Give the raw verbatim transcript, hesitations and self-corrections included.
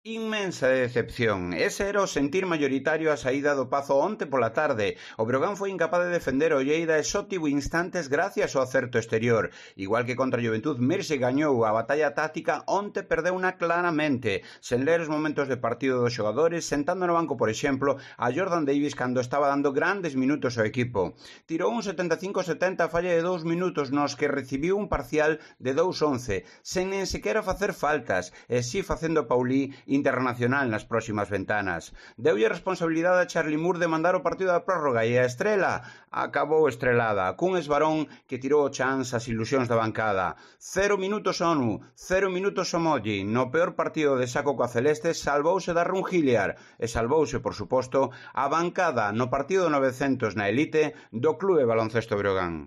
Inmensa decepción. Ese era o sentir maioritario a saída do Pazo onte pola tarde. O Breogán foi incapaz de defender o Lleida e só tivo instantes gracias ao acerto exterior. Igual que contra a Juventud, Mirse gañou a batalla táctica, onte perdeuna claramente, sen ler os momentos de partido dos xogadores, sentando no banco, por exemplo, a Jordan Davis cando estaba dando grandes minutos ao equipo. Tirou un setenta e cinco setenta a falla de dous minutos nos que recibiu un parcial de dous once, sen nen sequera facer faltas, e si facendo Paulí internacional nas próximas ventanas. Deulle responsabilidade a Charlie Moore de mandar o partido da prórroga e a estrela acabou estrelada, cun esbarón que tirou o chance as ilusións da bancada. Cero minutos Onu, cero minutos Somoji. No peor partido de saco coa Celeste salvouse da Rungiliar e salvouse, por suposto, a bancada no partido novecentos na elite do Clube Baloncesto Breogán.